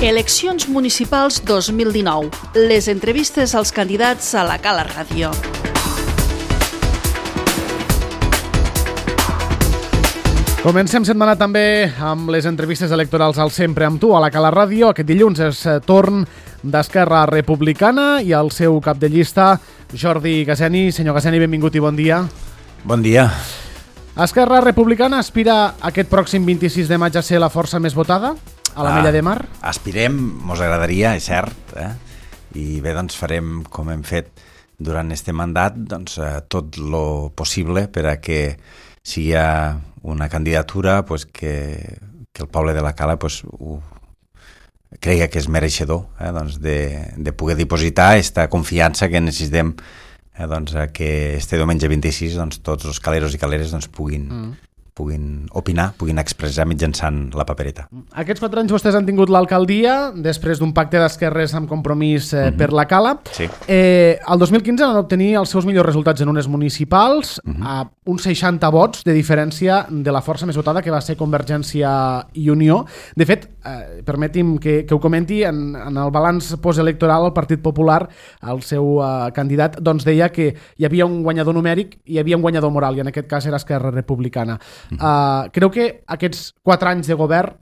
Eleccions municipals 2019. Les entrevistes als candidats a la Cala Ràdio. Comencem setmana també amb les entrevistes electorals al Sempre amb tu a la Cala Ràdio. Aquest dilluns és torn d'Esquerra Republicana i el seu cap de llista, Jordi Gasseni. Senyor Gasseni, benvingut i bon dia. Bon dia. Esquerra Republicana aspira aquest pròxim 26 de maig a ser la força més votada a l'Ametlla de Mar? Aspirem, mos agradaria, és cert, i bé, doncs farem com hem fet durant este mandat, doncs tot lo possible per a que sigui una candidatura pues, que el poble de la Cala pues, cregui que és mereixedor doncs, de poder dipositar aquesta confiança que necessitem doncs, que este diumenge 26 doncs, tots els caleros i caleres doncs, puguin opinar, puguin expressar mitjançant la papereta. Aquests 4 anys vostès han tingut l'alcaldia després d'un pacte d'esquerres amb Compromís per la Cala. Sí. El 2015 van obtenir els seus millors resultats en unes municipals, a uns 60 vots de diferència de la força més votada, que va ser Convergència i Unió. De fet, permeti'm que ho comenti, en el balanç postelectoral el Partit Popular, el seu candidat, doncs deia que hi havia un guanyador numèric i hi havia un guanyador moral, i en aquest cas era Esquerra Republicana. Creu que aquests 4 anys de govern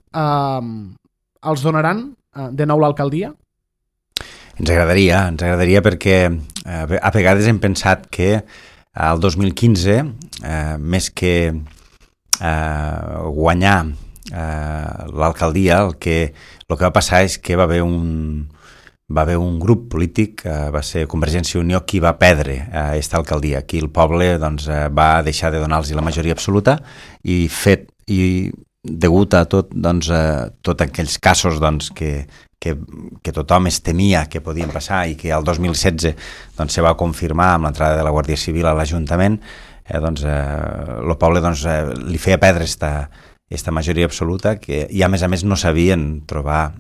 els donaran de nou l'alcaldia? Ens agradaria perquè a vegades hem pensat que el 2015, més que guanyar l'alcaldia, el que va passar és que va haver un grup polític, va ser Convergència i Unió, qui va perdre aquesta alcaldia. Aquí el poble doncs, va deixar de donar-los la majoria absoluta i degut a tots aquells casos doncs, que tothom es temia que podien passar i que el 2016 doncs, se va confirmar amb l'entrada de la Guàrdia Civil a l'Ajuntament, el poble doncs, li feia perdre aquesta majoria absoluta i a més no sabien trobar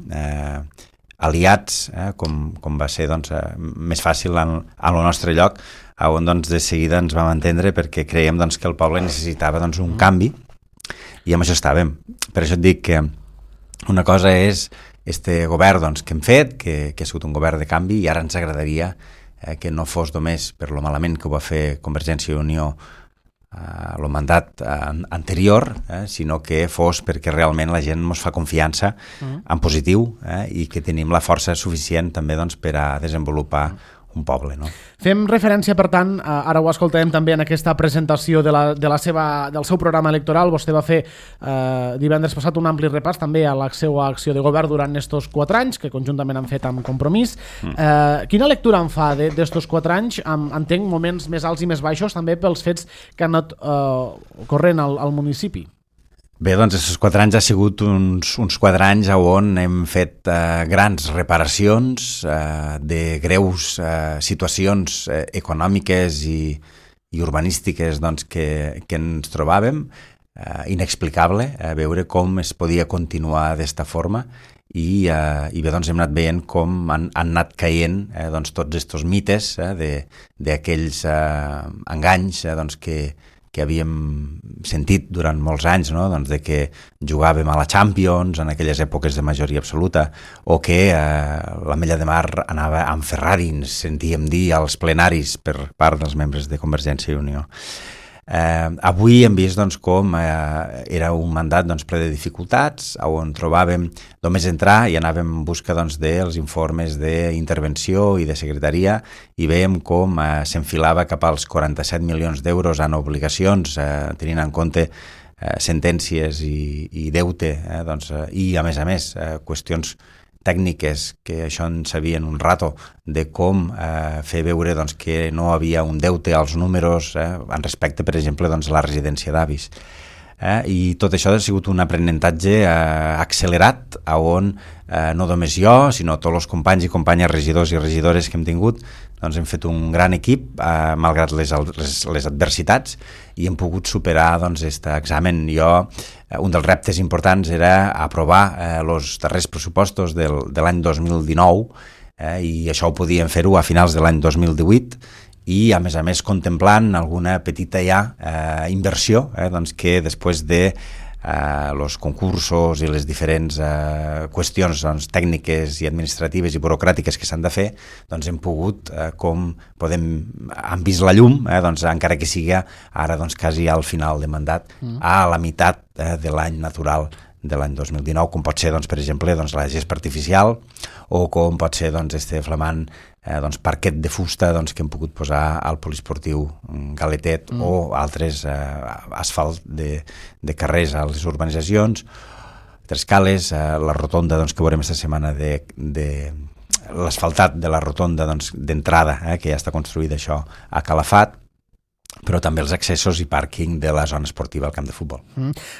aliats, com va ser doncs, més fàcil al nostre lloc, on doncs, de seguida ens vam entendre perquè creiem doncs, que el poble necessitava doncs, un canvi i amb això estàvem. Per això et dic que una cosa és este govern doncs, que hem fet, que ha sigut un govern de canvi, i ara ens agradaria que no fos només per lo malament que ho va fer Convergència i Unió el mandat anterior, sinó que fos perquè realment la gent ens fa confiança en positiu i que tenim la força suficient també doncs, per a desenvolupar un poble. No? Fem referència, per tant, ara ho escoltarem també en aquesta presentació del seu programa electoral. Vostè va fer divendres passat un ampli repàs també a la seva acció de govern durant aquests 4 anys, que conjuntament han fet amb Compromís. Quina lectura en fa d'estos 4 anys? Entenc moments més alts i més baixos també pels fets que han anat ocorrent al municipi. Bé, doncs aquests 4 anys ha sigut uns 4 anys on hem fet grans reparacions de greus situacions econòmiques i urbanístiques doncs, que ens trobàvem. Inexplicable veure com es podia continuar d'esta forma i bé, doncs hem anat veient com han anat caient doncs, tots aquests mites d'aquells enganys doncs, que havíem sentit durant molts anys, no? doncs de que jugàvem a la Champions en aquelles èpoques de majoria absoluta o que l'Ametlla de Mar anava amb Ferrari, ens sentíem dir als plenaris per part dels membres de Convergència i Unió. Avui hem vist doncs, com era un mandat doncs, ple de dificultats, on trobàvem només entrar i anàvem en busca doncs, dels informes d'intervenció i de secretaria i veiem com s'enfilava cap als 47 milions d'euros en obligacions, tenint en compte sentències i deute, doncs, i a més qüestions tècniques que això en sabien un rato de com fer veure doncs, que no havia un deute als números en respecte, per exemple, doncs, a la residència d'avis. I tot això ha sigut un aprenentatge accelerat on no només jo, sinó tots els companys i companyes regidors i regidores que hem tingut doncs hem fet un gran equip malgrat les adversitats i hem pogut superar doncs, aquest examen. Un dels reptes importants era aprovar els darrers pressupostos de l'any 2019 i això ho podíem fer-ho a finals de l'any 2018 i a més contemplant alguna petita inversió doncs que després de els concursos i les diferents qüestions tècniques i administratives i burocràtiques que s'han de fer, doncs hem pogut, han vist la llum, encara que sigui ara quasi al final de mandat, a la meitat de l'any natural de l'any 2019, com pot ser, per exemple, la gespa artificial, o com pot ser este flamant parquet de fusta que hem pogut posar al poliesportiu Galetet, o altres asfalt de carrers a les urbanitzacions, Trescales, la rotonda que veurem aquesta setmana de l'asfaltat de la rotonda d'entrada, que ja està construïda això a Calafat, però també els accessos i pàrquing de la zona esportiva al camp de futbol.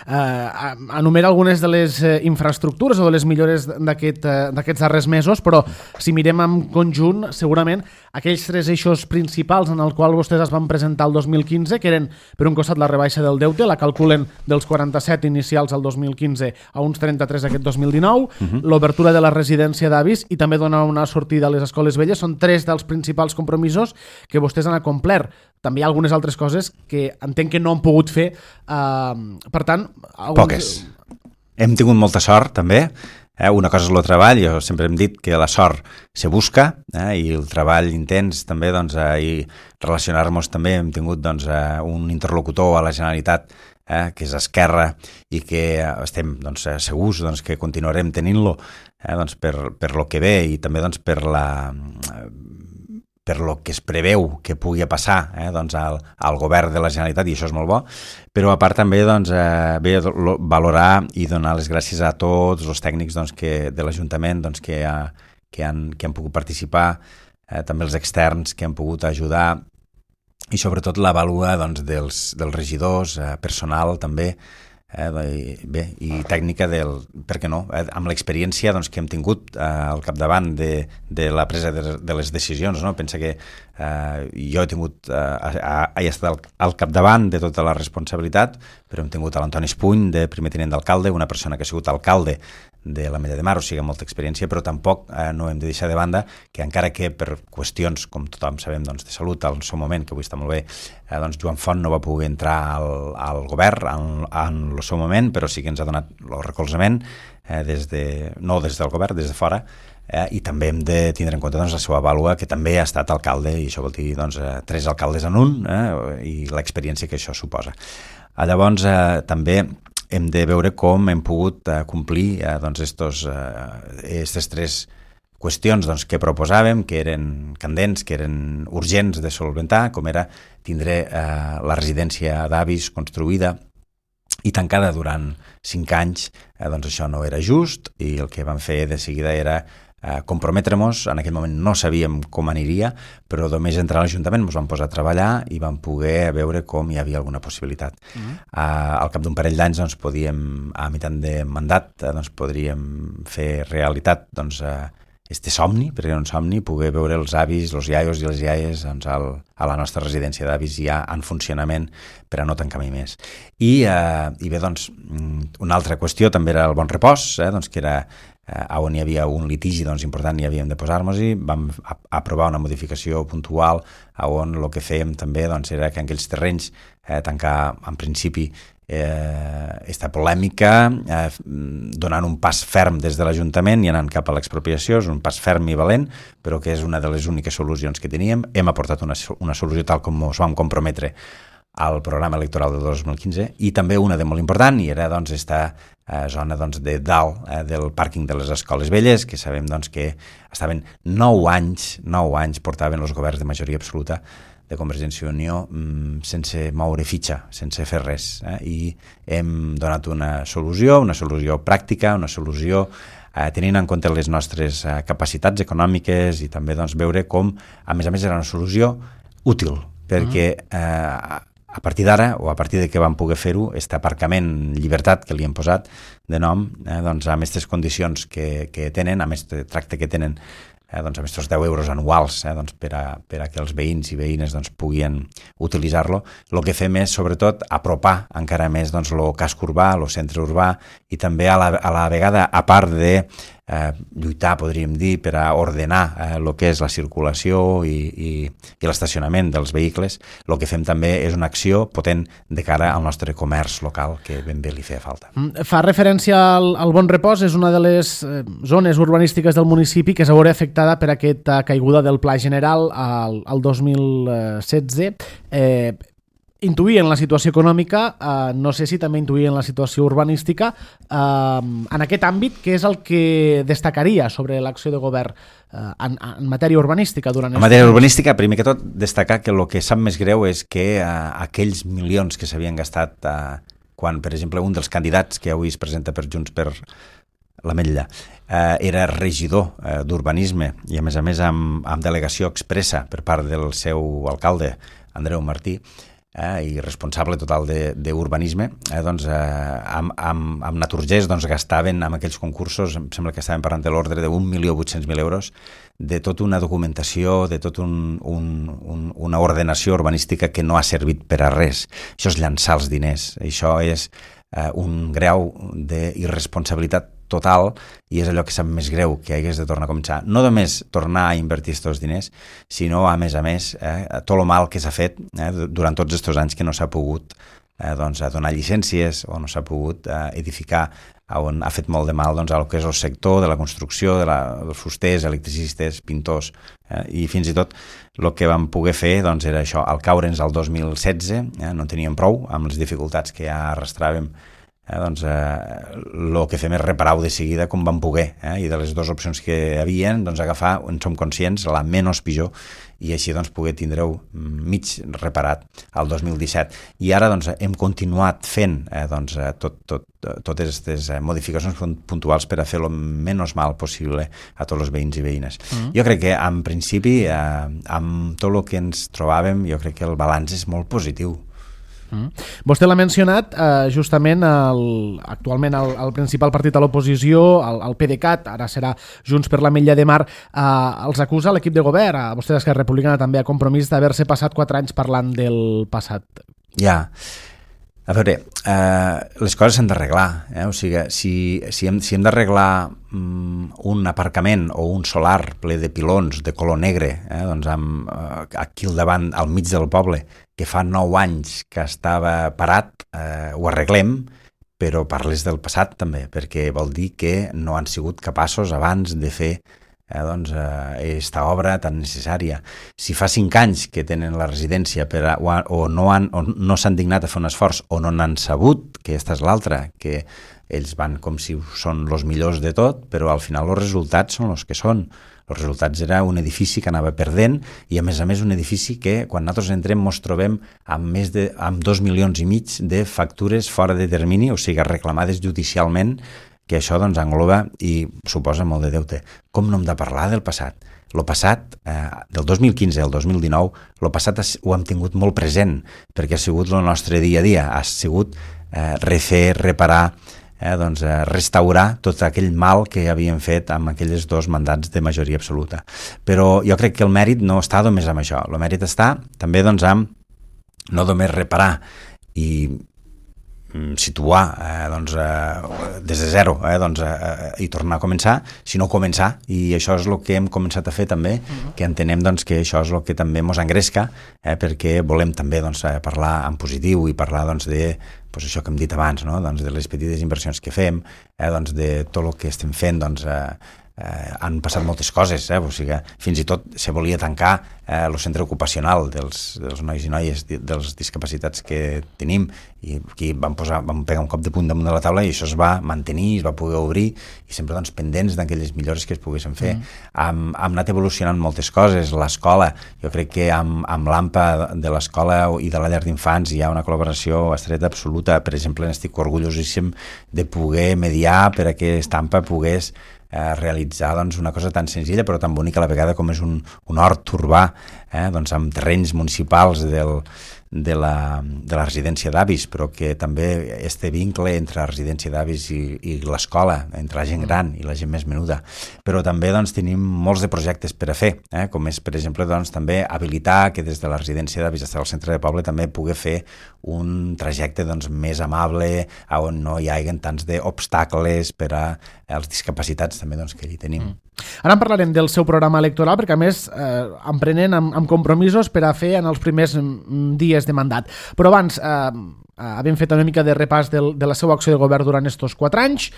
Enumera algunes de les infraestructures o de les millores d'aquests darrers mesos, però si mirem en conjunt, segurament aquells 3 eixos principals en el qual vostès es van presentar el 2015, que eren, per un costat, la rebaixa del deute, la calculen dels 47 inicials al 2015 a uns 33 aquest 2019, l'obertura de la residència d'avis i també donar una sortida a les escoles velles, són 3 dels principals compromisos que vostès han acomplert. També hi ha algunes altres coses que entenc que no han pogut fer. Per tant... Poques. Hem tingut molta sort, també. Una cosa és el treball, jo sempre hem dit que la sort se busca, i el treball intens també, i relacionar-nos també. Hem tingut un interlocutor a la Generalitat que és Esquerra i que estem segurs que continuarem tenint-lo per lo que ve i també per lo que es preveu que pugui passar al govern de la Generalitat, i això és molt bo, però a part també valorar i donar les gràcies a tots els tècnics de l'Ajuntament que han pogut participar, també els externs que han pogut ajudar, i sobretot la vàlua dels regidors, personal també, i tècnica per què no, amb l'experiència que hem tingut al capdavant de la presa de les decisions, no? Pensa que jo he estat al capdavant de tota la responsabilitat, però hem tingut l'Antoni Espuny, de primer tinent d'alcalde, una persona que ha sigut alcalde de l'Ametlla de Mar, o sigui, molta experiència, però tampoc no hem de deixar de banda que encara que per qüestions, com tothom sabem, de salut al seu moment, que avui està molt bé, Joan Font no va poder entrar al govern en el seu moment, però sí que ens ha donat el recolzament, no des del govern, des de fora, i també hem de tindre en compte la seva vàlua, que també ha estat alcalde, i això vol dir 3 alcaldes en un, i l'experiència que això suposa. Llavors, també hem de veure com hem pogut complir aquestes 3 qüestions que proposàvem, que eren candents, que eren urgents de solventar, com era tindre la residència d'avis construïda i tancada durant 5 anys. Això no era just, i el que vam fer de seguida era comprometre-nos. En aquell moment no sabíem com aniria, però només entrar a l'Ajuntament ens vam posar a treballar i vam poder veure com hi havia alguna possibilitat. Al cap d'un parell d'anys podíem, a meitat de mandat, podríem fer realitat este somni, perquè era un somni, poder veure els avis, els iaios i les iaies a la nostra residència d'avis ja en funcionament per a no tancar mai més. I bé, una altra qüestió també era el bon repòs, que era on hi havia un litigi important i havíem de posar-nos-hi. Vam aprovar una modificació puntual on el que fèiem també era que en aquells terrenys tancar en principi esta polèmica, donant un pas ferm des de l'Ajuntament i anant cap a l'expropiació. És un pas ferm i valent, però que és una de les úniques solucions que teníem. Hem aportat una solució tal com ens vam comprometre al programa electoral de 2015, i també una de molt important, i era esta zona de dalt del pàrquing de les escoles velles, que sabem que estaven 9 anys portaven els governs de majoria absoluta de Convergència i Unió sense moure fitxa, sense fer res, i hem donat una solució pràctica, una solució tenint en compte les nostres capacitats econòmiques, i també veure com, a més era una solució útil, perquè a partir d'ara, o a partir de que vam poder fer-ho, aquest aparcament Llibertat, que li hem posat de nom, amb aquestes condicions que tenen, amb aquest tracte que tenen, amb aquests 10 euros anuals per a que els veïns i veïnes puguin utilitzar-lo. El que fem és, sobretot, apropar encara més el casc urbà, el centre urbà, i també a la vegada, a part de lluitar, podríem dir, per a ordenar el que és la circulació i l'estacionament dels vehicles. El que fem també és una acció potent de cara al nostre comerç local, que ben bé li feia falta. Fa referència al Bon Repòs, és una de les zones urbanístiques del municipi que es veurà afectada per aquesta caiguda del Pla General al 2016. Intuïen la situació econòmica, no sé si també intuïen la situació urbanística. En aquest àmbit, què és el que destacaria sobre l'acció de govern en matèria urbanística? En matèria urbanística, primer que tot, destacar que el que sap més greu és que aquells milions que s'havien gastat quan, per exemple, un dels candidats que avui es presenta per Junts per l'Ametlla era regidor d'urbanisme i, a més amb delegació expressa per part del seu alcalde, Andreu Martí, i responsable total d'urbanisme, doncs amb Naturgés gastaven en aquells concursos, em sembla que estaven parlant de l'ordre de 1.800.000 euros, de tota una documentació, de tota una ordenació urbanística que no ha servit per a res. Això és llançar els diners, això és un grau d'irresponsabilitat total, i és allò que sap més greu, que hagués de tornar a començar. No només tornar a invertir aquests diners, sinó, a més, tot el mal que s'ha fet durant tots aquests anys que no s'ha pogut donar llicències o no s'ha pogut edificar, on ha fet molt de mal al que és el sector de la construcció, dels fusters, electricistes, pintors, i fins i tot el que vam poder fer era això, al caure'ns al 2016, no en teníem prou amb les dificultats que ja arrastràvem. El que fem és reparar-ho de seguida com vam poder, i de les dues opcions que hi havia, agafar, en som conscients, la menys pitjor, i així poder tindre-ho mig reparat al 2017. I ara hem continuat fent totes aquestes modificacions puntuals per a fer el menys mal possible a tots els veïns i veïnes. Jo crec que, en principi, amb tot el que ens trobàvem, jo crec que el balanç és molt positiu. Vostè l'ha mencionat, justament actualment el principal partit a l'oposició, el PDeCAT, ara serà Junts per l'Ametlla de Mar, els acusa l'equip de govern, a vostè d'Esquerra Republicana també, a Compromís, d'haver-se passat 4 anys parlant del passat. Ja, a veure, les coses s'han d'arreglar, o sigui, si hem d'arreglar un aparcament o un solar ple de pilons de color negre, aquí al davant, al mig del poble, que fa 9 anys que estava parat, ho arreglem, però parles del passat també, perquè vol dir que no han sigut capaços abans de fer aquesta obra tan necessària. Si fa 5 anys que tenen la residència o no s'han dignat a fer un esforç o no n'han sabut, que aquesta és l'altra, que ells van com si són els millors de tot, però al final els resultats són els que són. Els resultats era un edifici que anava perdent i, a més, un edifici que, quan nosaltres entrem, ens trobem amb 2,5 milions de factures fora de termini, o sigui, reclamades judicialment, que això engloba i suposa molt de deute. Com no hem de parlar del passat? El passat, del 2015 al 2019, el passat ho hem tingut molt present, perquè ha sigut el nostre dia a dia, ha sigut refer, reparar, restaurar tot aquell mal que havíem fet amb aquells 2 mandats de majoria absoluta. Però jo crec que el mèrit no està només amb això. El mèrit està també amb no només reparar i situar des de zero i tornar a començar, sinó començar, i això és el que hem començat a fer també, que entenem que això és el que també ens engresca, perquè volem també parlar en positiu i parlar de això que hem dit abans, de les petites inversions que fem, de tot el que estem fent. Han passat moltes coses, o sigui, fins i tot se volia tancar el centre ocupacional dels nois i noies dels discapacitats que tenim, i aquí vam pegar un cop de punt damunt de la taula i això es va mantenir, es va poder obrir, i sempre pendents d'aquelles millores que es poguessin fer. Hem anat evolucionant moltes coses. L'escola, jo crec que amb l'AMPA de l'escola i de la llar d'infants hi ha una col·laboració estreta absoluta. Per exemple, estic orgullosíssim de poder mediar per a que l'AMPA pogués realitzar una cosa tan senzilla però tan bonica a la vegada com és un hort urbà, amb terrenys municipals de la residència d'avis, però que també este vincle entre la residència d'avis i l'escola, entre la gent gran i la gent més menuda. Però també doncs, tenim molts de projectes per a fer, com és, per exemple, doncs, també habilitar que des de la residència d'avis fins al centre de poble també pugui fer un trajecte doncs, més amable, on no hi hagi tants d'obstacles per als discapacitats també doncs, que hi tenim. Ara en parlarem del seu programa electoral, perquè a més emprenen amb compromisos per a fer en els primers dies de mandat. Però abans, havent fet una mica de repàs de la seva acció de govern durant estos 4 anys,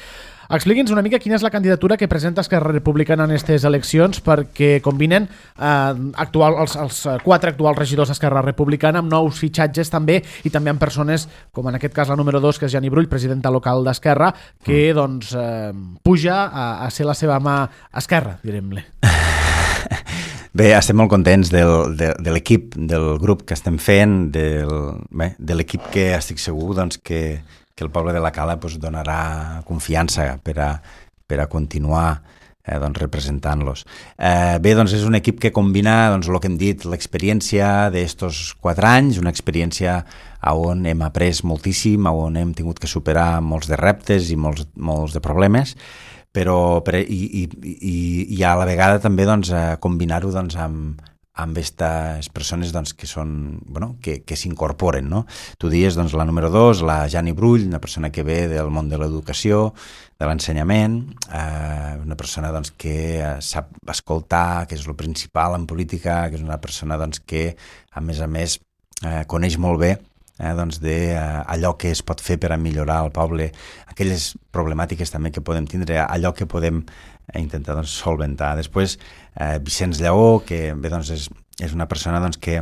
expliqui'ns una mica quina és la candidatura que presenta Esquerra Republicana en aquestes eleccions, perquè combinen els 4 actuals regidors d'Esquerra Republicana amb nous fitxatges també, i també amb persones, com en aquest cas la número 2, que és Jani Brull, presidenta local d'Esquerra, que doncs puja a ser la seva mà esquerra, direm-ne. Bé, estem molt contents de l'equip, del grup que estem fent, de l'equip que estic segur doncs, que el poble de la Cala doncs, donarà confiança per a continuar doncs, representant-los. Bé, doncs és un equip que combina doncs, el que hem dit, l'experiència d'estos 4 anys, una experiència on hem après moltíssim, on hem tingut que superar molts de reptes i molts de problemes, i a la vegada també doncs, combinar-ho doncs, amb aquestes persones doncs, que són, que s'incorporen, no? Tu dius doncs, la número 2, la Jani Brull, una persona que ve del món de l'educació, de l'ensenyament, una persona doncs, que sap escoltar, que és el principal en política, que és una persona doncs, que a més coneix molt bé doncs allò que es pot fer per a millorar el poble, aquelles problemàtiques també que podem tindre, allò que podem intentar doncs, solventar. Després, Vicenç Lleó, que bé, doncs, és una persona doncs, que,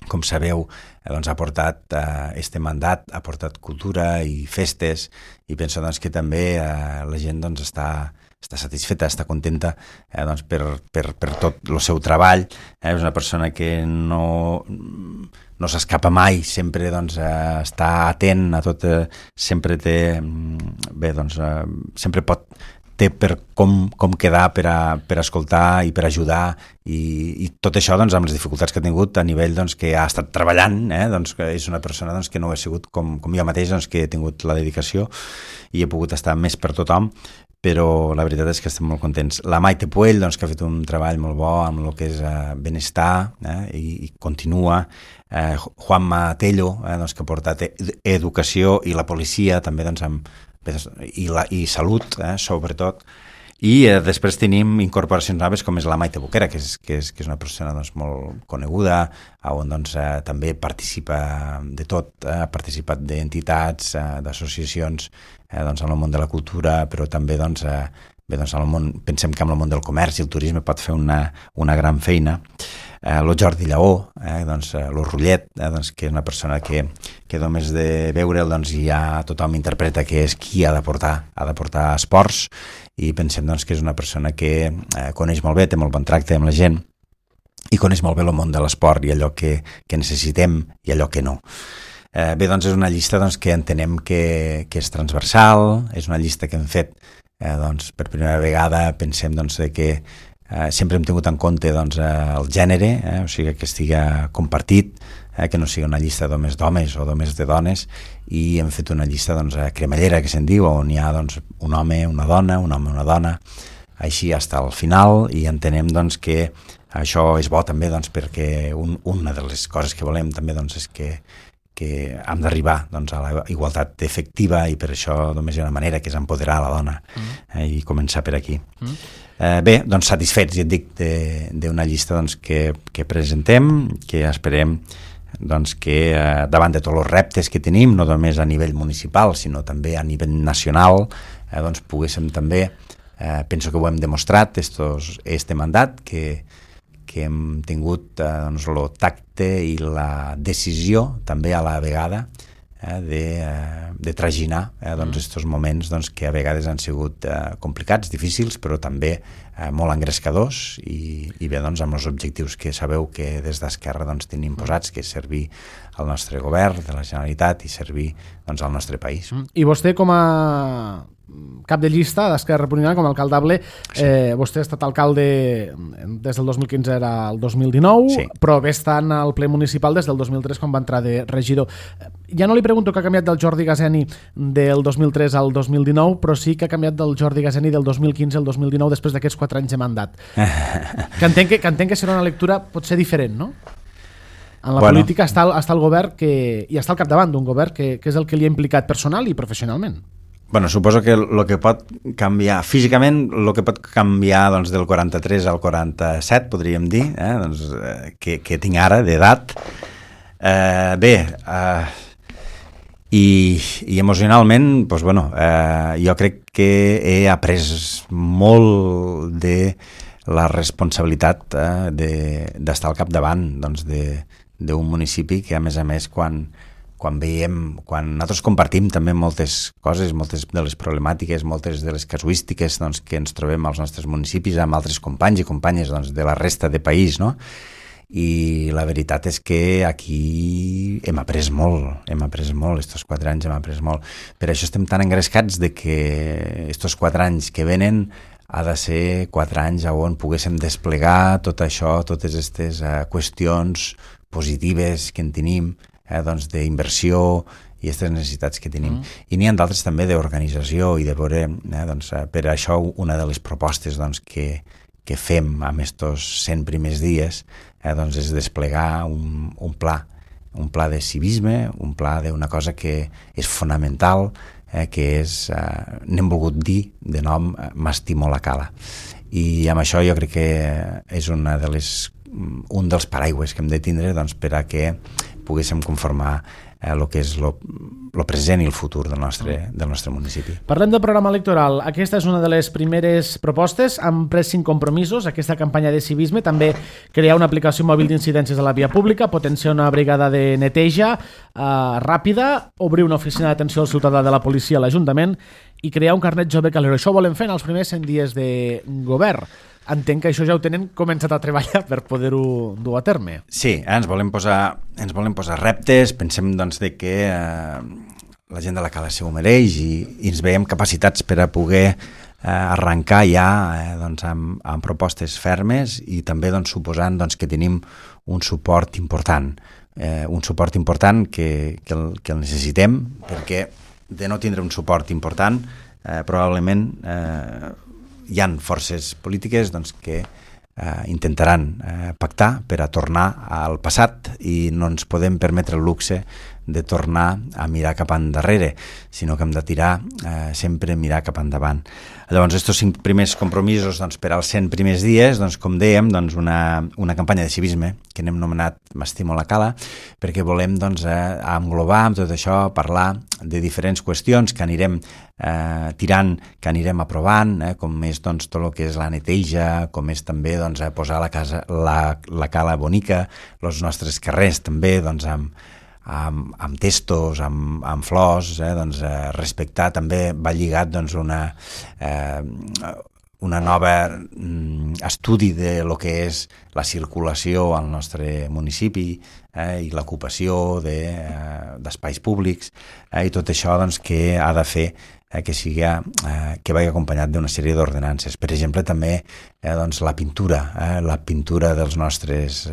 com sabeu, doncs, ha portat este mandat, ha portat cultura i festes, i penso doncs, que també la gent doncs, està satisfeta, està contenta doncs, per tot el seu treball. És una persona que no s'escapa mai, sempre doncs, està atent a tot, sempre té, bé, doncs, sempre té per com quedar per a escoltar i per ajudar, i tot això doncs, amb les dificultats que ha tingut a nivell doncs, que ha estat treballant, doncs, que és una persona doncs, que no ha sigut com jo mateix, doncs, que he tingut la dedicació i he pogut estar més per tothom, però la veritat és que estem molt contents. La Maite Puell, doncs, que ha fet un treball molt bo amb el que és benestar, i continua. Juanma Tello, doncs, que ha portat educació i la policia, també doncs, i salut, sobretot. I després tenim incorporacions noves com és la Maite Boquera, que és una persona doncs, molt coneguda, on doncs, també participa de tot, ha participat d'entitats, d'associacions doncs, en el món de la cultura, però també doncs, doncs, pensem que en el món del comerç i el turisme pot fer una gran feina. Lo Jordi Lleó, doncs, lo Rullet, doncs, que és una persona que només de veure'l doncs, ja tothom interpreta que és qui ha de portar esports, i pensem doncs, que és una persona que coneix molt bé, té molt bon tracte amb la gent i coneix molt bé el món de l'esport i allò que necessitem i allò que no. Bé, doncs és una llista doncs, que entenem que és transversal, és una llista que hem fet doncs, per primera vegada, pensem doncs, que sempre hem tingut en compte doncs, el gènere, o sigui que estiga compartit, que no sigui una llista d'homes d'homes o d'homes de dones, i hem fet una llista doncs, cremallera, que se'n diu, on hi ha doncs, un home, una dona, una dona, així fins al final, i entenem doncs, que això és bo també doncs, perquè una de les coses que volem també doncs, és que hem d'arribar doncs, a la igualtat efectiva, i per això només hi ha una manera, que és empoderar la dona, i començar per aquí. Bé, doncs satisfets, ja et dic, d'una llista doncs, que presentem, que esperem doncs, que davant de tots els reptes que tenim, no només a nivell municipal, sinó també a nivell nacional, doncs poguéssim també, penso que ho hem demostrat, este mandat, que hem tingut doncs, el tacte i la decisió també a la vegada de traginar doncs, estos moments doncs, que a vegades han sigut complicats, difícils, però també molt engrescadors, i bé, doncs, amb els objectius que sabeu que des d'Esquerra doncs, tenim posats, que és servir al nostre govern de la Generalitat i servir doncs, al nostre país. I vostè, com a cap de llista d'Esquerra Republicana com a alcaldable. Vostè ha estat alcalde des del 2015 era el 2019, però ve estant al ple municipal des del 2003 quan va entrar de regidor. Ja no li pregunto que ha canviat del Jordi Gazeni del 2003 al 2019, però sí que ha canviat del Jordi Gazeni del 2015 al 2019 després d'aquests 4 anys de mandat. Que entenc que serà una lectura potser diferent, no? En la política està el govern i està al capdavant d'un govern que és el que li ha implicat personal i professionalment. Suposo que el que pot canviar físicament, el que pot canviar doncs, del 43 al 47, podríem dir, que tinc ara d'edat, i emocionalment jo crec que he après molt de la responsabilitat d'estar al capdavant d'un municipi que, a més, quan nosaltres compartim també moltes coses, moltes de les problemàtiques, moltes de les casuístiques que ens trobem als nostres municipis amb altres companys i companyes de la resta de país, no? I la veritat és que aquí hem après molt, estos 4 anys hem après molt. Per això estem tan engrescats de que estos 4 anys que venen ha de ser 4 anys on poguéssim desplegar tot això, totes aquestes qüestions positives que en tenim, d'inversió i aquestes necessitats que tenim. I n'hi ha d'altres també d'organització i de veure, per això una de les propostes que fem amb aquests 100 primers dies és desplegar un pla de civisme, un pla d'una cosa que és fonamental, que és, n'hem volgut dir de nom M'estimo la cala. I amb això jo crec que és un dels paraigües que hem de tindre per a que poguéssim conformar el que és el present i el futur del nostre municipi. Parlem del programa electoral. Aquesta és una de les primeres propostes. Han pres 5 compromisos. Aquesta campanya de civisme també crear una aplicació mòbil d'incidències a la via pública, potenciar una brigada de neteja ràpida, obrir una oficina d'atenció al ciutadà de la policia a l'Ajuntament i crear un carnet jove calero. Això ho volem fer en els primers 100 dies de govern. Entenc que això ja ho tenen començat a treballar per poder-ho dur a terme. Sí, ens volem posar reptes, pensem de que la gent de la cala s'ho mereix i ens veiem capacitats per a poder arrencar ja amb propostes fermes i també suposant que tenim un suport important, que el necessitem, perquè de no tindre un suport important probablement hi ha forces polítiques que intentaran pactar per a tornar al passat i no ens podem permetre el luxe de tornar a mirar cap endarrere, sinó que hem de tirar sempre mirar cap endavant. Llavors, aquests 5 primers compromisos per als 100 primers dies, com dèiem, una campanya de civisme que n'hem anomenat M'estimo la cala, perquè volem englobar amb tot això, parlar de diferents qüestions que anirem tirant, que anirem aprovant, com és tot el que és la neteja, com és també posar la cala bonica, els nostres carrers també amb testos, amb flors, respectar també va lligat una nova estudi de lo que és la circulació al nostre municipi i l'ocupació d'espais públics i tot això que ha de fer que vagi acompanyat d'una sèrie d'ordenances. Per exemple, també la pintura de les nostres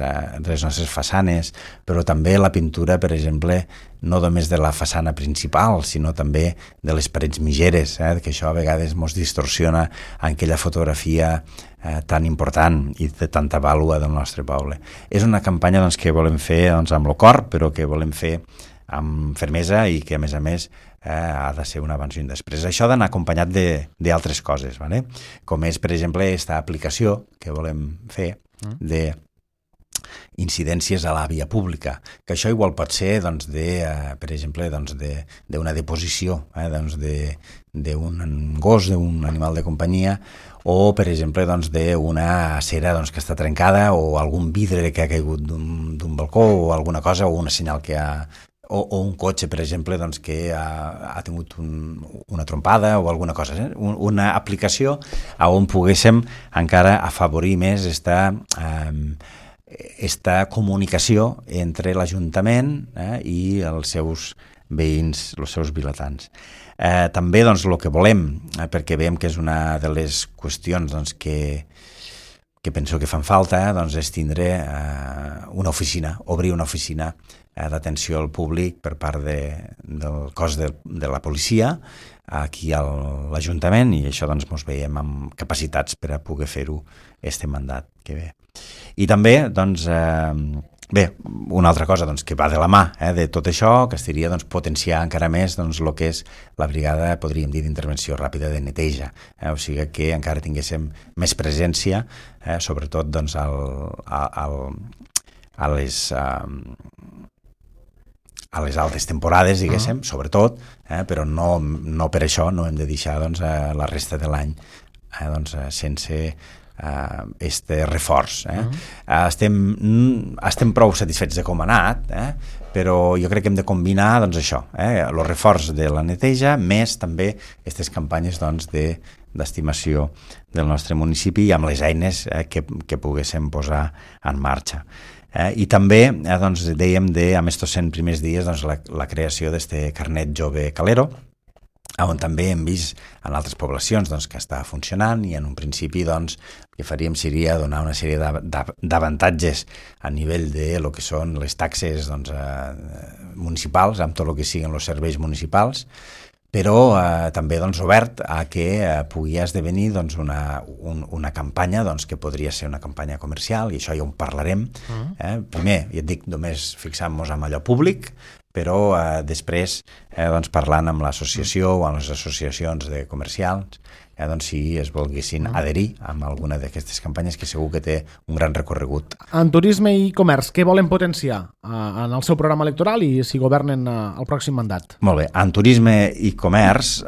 façanes, però també la pintura, per exemple, no només de la façana principal, sinó també de les parets mitgeres, que això a vegades ens distorsiona en aquella fotografia tan important i de tanta vàlua del nostre poble. És una campanya que volem fer amb el cor, però que volem fer amb fermesa i que, a més, ha de ser un abans i un després. Això ha d'anar acompanyat d'altres coses, com és, per exemple, aquesta aplicació que volem fer de incidències a la via pública, que això igual pot ser, per exemple, d'una deposició d'un gos, d'un animal de companyia, o, per exemple, d'una cera que està trencada o algun vidre que ha caigut d'un balcó o alguna cosa, o una senyal que ha... O un cotxe, per exemple, que ha tingut una trompada o alguna cosa. Una aplicació on poguéssim encara afavorir més esta comunicació entre l'Ajuntament i els seus veïns, els seus vilatans. També doncs, el que volem, perquè veiem que és una de les qüestions doncs, que penso que fan falta, doncs, és tindre una oficina, obrir una oficina d'atenció al públic per part del cos de la policia aquí a l'Ajuntament, i això doncs ens veiem amb capacitats per a poder fer-ho este mandat que ve. I també doncs, una altra cosa doncs, que va de la mà de tot això, que seria doncs, potenciar encara més doncs, el que és la brigada, podríem dir, d'intervenció ràpida de neteja, o sigui que encara tinguéssim més presència, sobretot doncs, a les altes temporades, diguéssim, sobretot, però no per això no hem de deixar doncs, la resta de l'any doncs, sense este reforç. Estem prou satisfets de com ha anat, però jo crec que hem de combinar doncs, això, el reforç de la neteja, més també aquestes campanyes doncs, d'estimació del nostre municipi i amb les eines que poguéssim posar en marxa. I també doncs, dèiem amb estos 100 primers dies doncs, la creació d'este carnet jove calero, on també hem vist en altres poblacions doncs, que està funcionant, i en un principi doncs, el que faríem seria donar una sèrie d'avantatges a nivell de lo que són les taxes doncs, municipals, amb tot el que siguin els serveis municipals, però també doncs, obert a que pugui esdevenir doncs, una campanya doncs, que podria ser una campanya comercial, i això ja ho parlarem. Primer, ja et dic, només fixant-nos en allò públic, però després doncs, parlant amb l'associació o amb les associacions de comercials, doncs, si es volguessin adherir a alguna d'aquestes campanyes, que segur que té un gran recorregut. En turisme i comerç, què volen potenciar en el seu programa electoral i si governen el pròxim mandat? Molt bé, en turisme i comerç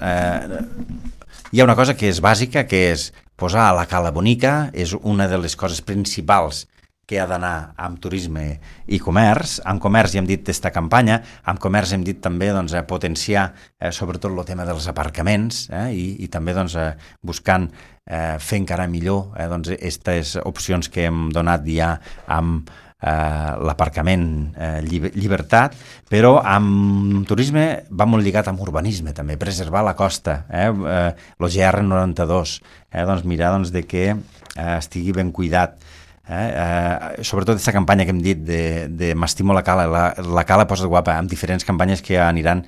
hi ha una cosa que és bàsica, que és posar a la cala bonica, és una de les coses principals que ha d'anar amb turisme i comerç. En comerç ja hem dit aquesta campanya, en comerç hem dit també doncs, potenciar sobretot el tema dels aparcaments i també doncs, buscant fer encara millor doncs, aquestes opcions que hem donat ja amb l'aparcament llibertat, però amb turisme va molt lligat amb urbanisme també, preservar la costa, el GR92, doncs mirar doncs, de que estigui ben cuidat. Sobretot aquesta campanya que hem dit de m'estimo la cala, la cala posa guapa, amb diferents campanyes que aniran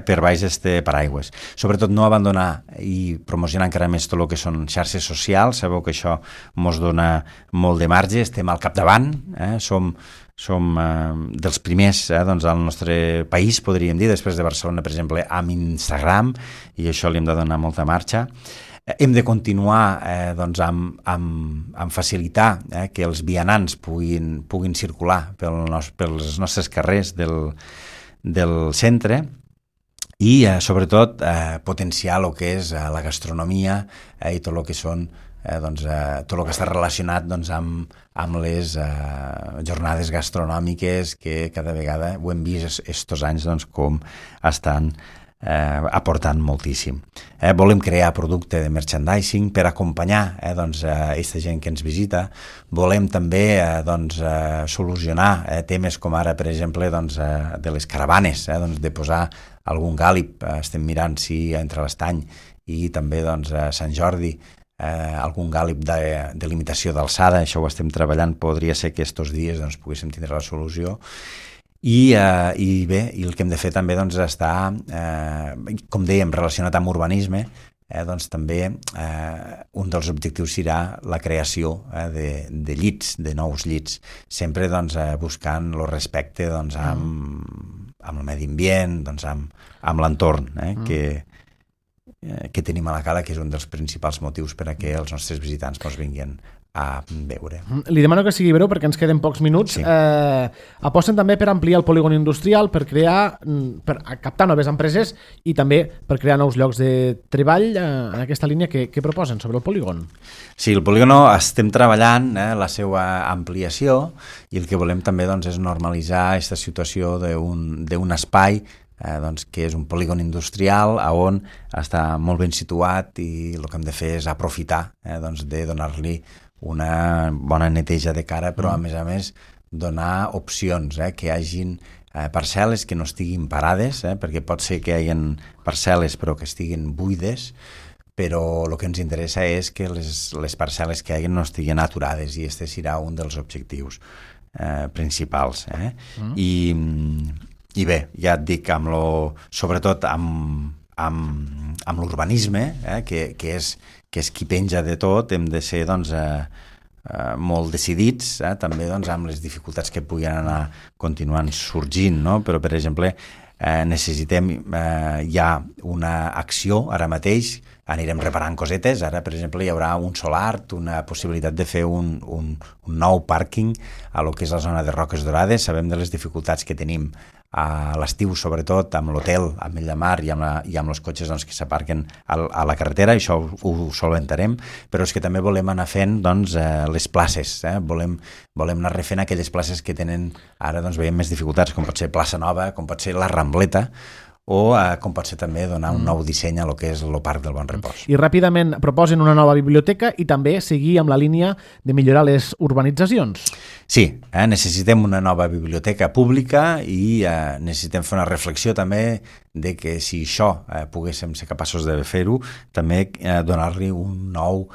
per baix este paraigües. Sobretot no abandonar i promocionar encara més tot el que són xarxes socials. Sabeu que això ens dona molt de marge, estem al capdavant, som dels primers doncs, al nostre país, podríem dir, després de Barcelona, per exemple, amb Instagram, i això li hem de donar molta marxa. Hem de continuar doncs, amb facilitar que els vianants puguin circular pels nostres carrers del centre i, sobretot, potenciar el que és la gastronomia i tot el que són doncs, tot el que està relacionat doncs, amb les jornades gastronòmiques que cada vegada ho hem vist estos anys doncs, com estan aportant moltíssim. Volem crear producte de merchandising per acompanyar doncs, aquesta gent que ens visita. Volem també doncs, solucionar temes com ara, per exemple, doncs, de les caravanes, doncs, de posar algun gàlib. Estem mirant si entre l'Estany i també doncs, a Sant Jordi algun gàlib de limitació d'alçada. Això ho estem treballant. Podria ser que estos dies doncs, poguéssim tindre la solució. I bé, el que hem de fer també doncs, està, com dèiem, relacionat amb urbanisme, doncs també un dels objectius serà la creació de llits, de nous llits, sempre doncs, buscant el respecte doncs, amb el medi ambient, doncs, amb l'entorn que tenim a la cala, que és un dels principals motius per a que els nostres visitants ens vinguin a veure. Li demano que sigui breu perquè ens queden pocs minuts. Sí. Aposten també per ampliar el polígon industrial, per captar noves empreses i també per crear nous llocs de treball en aquesta línia que proposen sobre el polígon. Sí, el polígon estem treballant la seva ampliació i el que volem també doncs, és normalitzar aquesta situació d'un espai doncs, que és un polígon industrial on està molt ben situat i el que hem de fer és aprofitar doncs, de donar-li una bona neteja de cara, però a més donar opcions, que hi hagin parcel·les que no estiguin parades, perquè pot ser que hi hagi parcel·les però que estiguin buides, però el que ens interessa és que les parcel·les que hi hagi no estiguin aturades, i aquest serà un dels objectius principals. I bé, ja et dic, sobretot amb l'urbanisme, que és qui penja de tot, hem de ser molt decidits, també amb les dificultats que puguin anar continuant sorgint, no? Però, per exemple, necessitem ja una acció ara mateix, anirem reparant cosetes, ara per exemple hi haurà un solar, una possibilitat de fer un nou pàrquing a lo que és la zona de Roques Dorades. Sabem de les dificultats que tenim a l'estiu, sobretot amb l'hotel, amb el Llamar i amb els cotxes que s'aparquen a la carretera, això ho solventarem, però és que també volem anar fent les places, volem anar refent aquelles places que tenen ara, veiem més dificultats, com pot ser Plaça Nova, com pot ser la Rambleta, o com pot ser també donar un nou disseny a lo que és el Parc del Bon Repòs. I ràpidament proposen una nova biblioteca i també seguir amb la línia de millorar les urbanitzacions. Sí, necessitem una nova biblioteca pública i necessitem fer una reflexió també de que si això poguéssim ser capaços de fer-ho, també donar-li un nou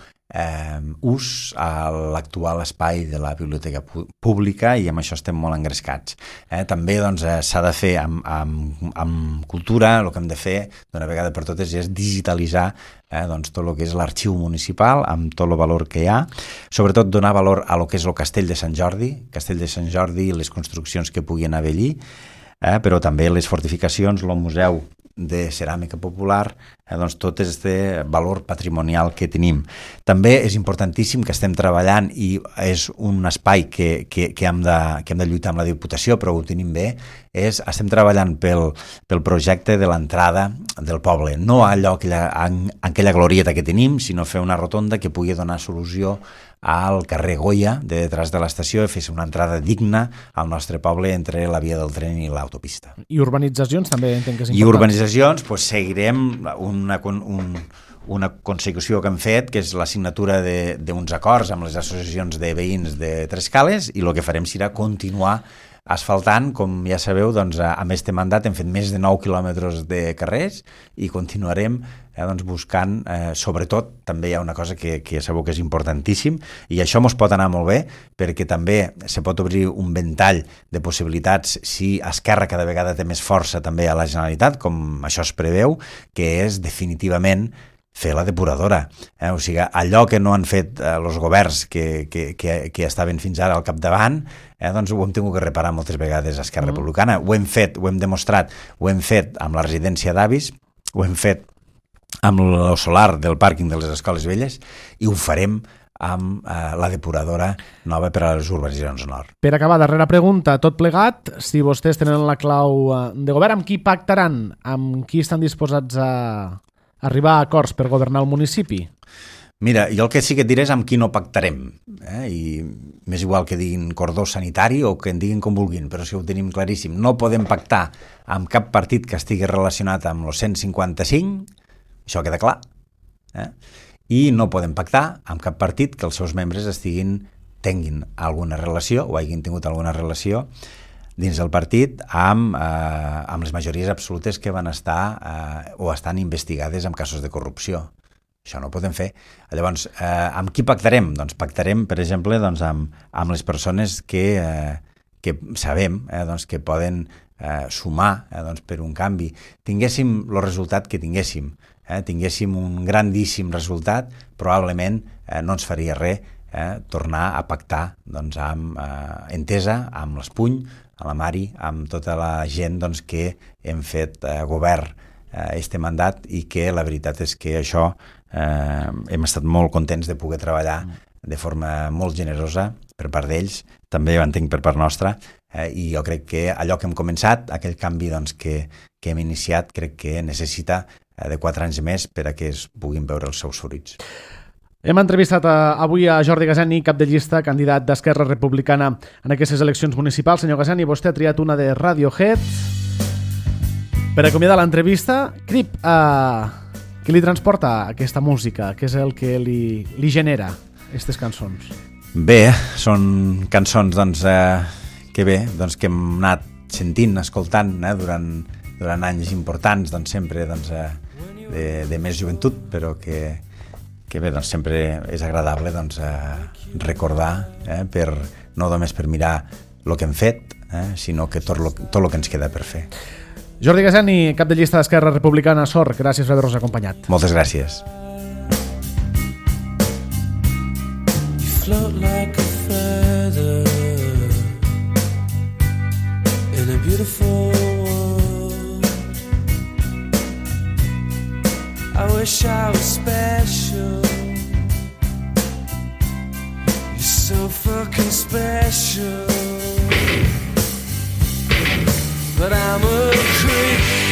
ús a l'actual espai de la biblioteca pública, i amb això estem molt engrescats. També s'ha de fer amb cultura, el que hem de fer d'una vegada per totes és digitalitzar tot el que és l'arxiu municipal amb tot el valor que hi ha, sobretot donar valor a lo que és el Castell de Sant Jordi i les construccions que puguin haver allí, però també les fortificacions, el museu de ceràmica popular, tot aquest valor patrimonial que tenim. També és importantíssim que estem treballant, i és un espai que hem de lluitar amb la Diputació, però ho tenim bé, estem treballant pel projecte de l'entrada del poble, no allò en aquella glorieta que tenim, sinó fer una rotonda que pugui donar solució al carrer Goya, de detrás de l'estació, i fer una entrada digna al nostre poble entre la via del tren i l'autopista. I urbanitzacions també entenc que és important. I urbanitzacions, seguirem una consecució que hem fet, que és la signatura d'uns acords amb les associacions de veïns de Trescales, i el que farem serà continuar asfaltant. Com ja sabeu, amb este mandat hem fet més de 9 quilòmetres de carrers i continuarem buscant, sobretot, també hi ha una cosa que ja sabeu que és importantíssim, i això ens pot anar molt bé, perquè també se pot obrir un ventall de possibilitats si Esquerra cada vegada té més força també a la Generalitat, com això es preveu, que és definitivament fer la depuradora. O sigui, allò que no han fet els governs que estaven fins ara al capdavant, ho hem tingut que reparar moltes vegades a Esquerra Republicana. Ho hem fet, ho hem demostrat, ho hem fet amb la residència d'avis, ho hem fet amb el solar del pàrquing de les escoles velles, i ho farem amb la depuradora nova per a les urbanitzacions nord. Per acabar, darrera pregunta, tot plegat, si vostès tenen la clau de govern, amb qui pactaran? Amb qui estan disposats a arribar a acords per governar el municipi? Mira, jo el que sí que et diré és amb qui no pactarem, i m'és igual que diguin cordó sanitari o que en diguin com vulguin, però si ho tenim claríssim, no podem pactar amb cap partit que estigui relacionat amb el 155, això queda clar, i no podem pactar amb cap partit que els seus membres tinguin alguna relació o hagin tingut alguna relació dins del partit amb les majories absolutes que van estar o estan investigades en casos de corrupció. Això no ho podem fer. Llavors, amb qui pactarem? Doncs pactarem, per exemple, amb les persones que sabem que poden sumar per un canvi. Tinguéssim el resultat que tinguéssim, tinguéssim un grandíssim resultat, probablement no ens faria res tornar a pactar amb Entesa, amb l'Espuny, a la Mari, amb tota la gent que hem fet govern este mandat, i que la veritat és que això hem estat molt contents de poder treballar de forma molt generosa per part d'ells, també ho entenc per part nostra, i jo crec que allò que hem començat, aquell canvi que hem iniciat, crec que necessita de 4 anys més per a que es puguin veure els seus fruits. Hem entrevistat avui a Jordi Gazani, cap de llista, candidat d'Esquerra Republicana en aquestes eleccions municipals. Senyor Gazani, vostè ha triat una de Radiohead. Per acomiadar l'entrevista, Crip, què li transporta aquesta música? Què és el que li genera aquestes cançons? Bé, són cançons que hem anat sentint, escoltant durant anys importants, doncs sempre de més joventut, però que bé, doncs sempre és agradable recordar, no només per mirar el que hem fet, sinó que tot el que ens queda per fer. Jordi Gaseni, cap de llista d'Esquerra Republicana, SOR, gràcies per haver-nos acompanyat. Moltes gràcies. You float like a feather in a beautiful world. I wish I was special. You're so fucking special. But I'm a creep.